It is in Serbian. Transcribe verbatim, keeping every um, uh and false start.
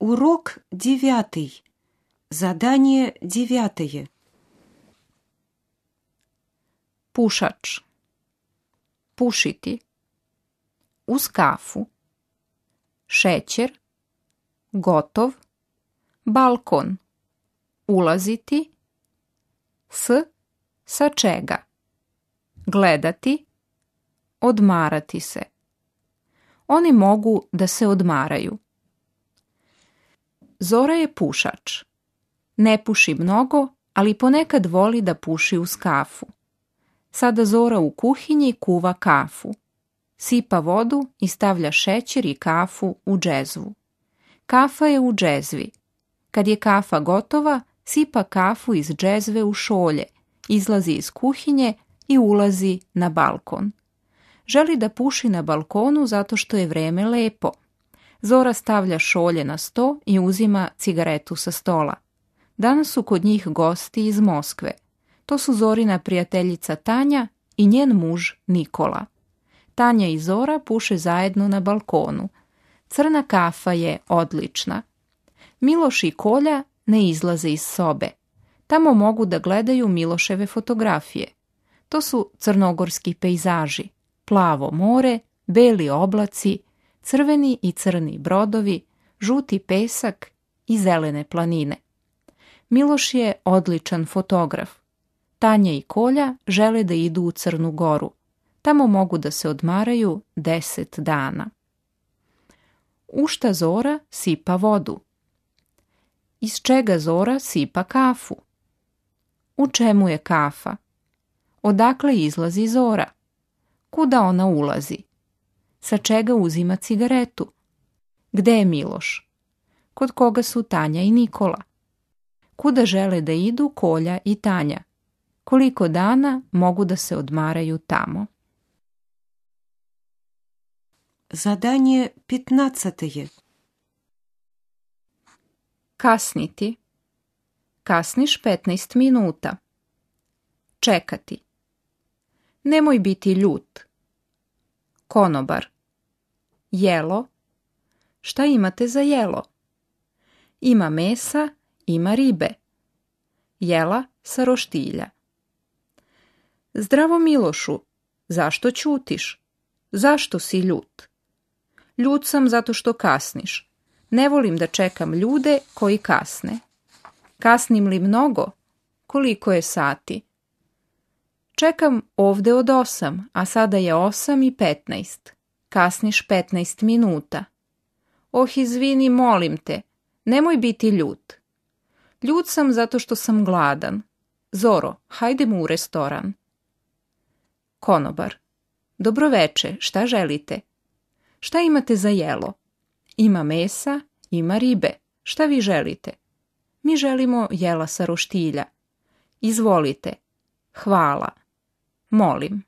Урок девятый. Задание девятое. Pušač. Pušiti. Uz kafu. Šećer. Gotov. Balkon. Ulaziti. S. Sa čega. Gledati. Odmarati se. Oni mogu da se odmaraju. Zora je pušač. Ne puši mnogo, ali ponekad voli da puši uz kafu. Sada Zora u kuhinji kuva kafu. Sipa vodu i stavlja šećer i kafu u džezvu. Kafa je u džezvi. Kad je kafa gotova, sipa kafu iz džezve u šolje, izlazi iz kuhinje i ulazi na balkon. Želi da puši na balkonu zato što je vreme lepo. Zora stavlja šolje na sto i uzima cigaretu sa stola. Danas su kod njih gosti iz Moskve. To su Zorina prijateljica Tanja i njen muž Nikola. Tanja i Zora puše zajedno na balkonu. Crna kafa je odlična. Miloš i Kolja ne izlaze iz sobe. Tamo mogu da gledaju Miloševe fotografije. To su crnogorski pejzaži, plavo more, beli oblaci, crveni i crni brodovi, žuti pesak i zelene planine. Miloš je odličan fotograf. Tanja i Kolja žele da idu u Crnu Goru. Tamo mogu da se odmaraju deset dana. U šta Zora sipa vodu? Iz čega Zora sipa kafu? U čemu je kafa? Odakle izlazi Zora? Kuda ona ulazi? Sa čega uzima cigaretu? Gde je Miloš? Kod koga su Tanja i Nikola? Kuda žele da idu Kolja i Tanja? Koliko dana mogu da se odmaraju tamo? Задание пятнадцатое. Kasniti. Kasniš petnaest minuta. Čekati. Nemoj biti ljut. Konobar. Jelo. Šta imate za jelo? Ima mesa, ima ribe. Jela sa roštilja. Zdravo Milošu, zašto ćutiš? Zašto si ljut? Ljut sam zato što kasniš. Ne volim da čekam ljude koji kasne. Kasnim li mnogo? Koliko je sati? Čekam ovde od osam, a sada je osam i petnaest. Kasniš petnaest minuta. Oh, izvini, molim te, nemoj biti ljut. Ljut sam zato što sam gladan. Zoro, hajdemo u restoran. Konobar. Dobroveče, šta želite? Šta imate za jelo? Ima mesa, ima ribe. Šta vi želite? Mi želimo jela sa roštilja. Izvolite. Hvala. Molim.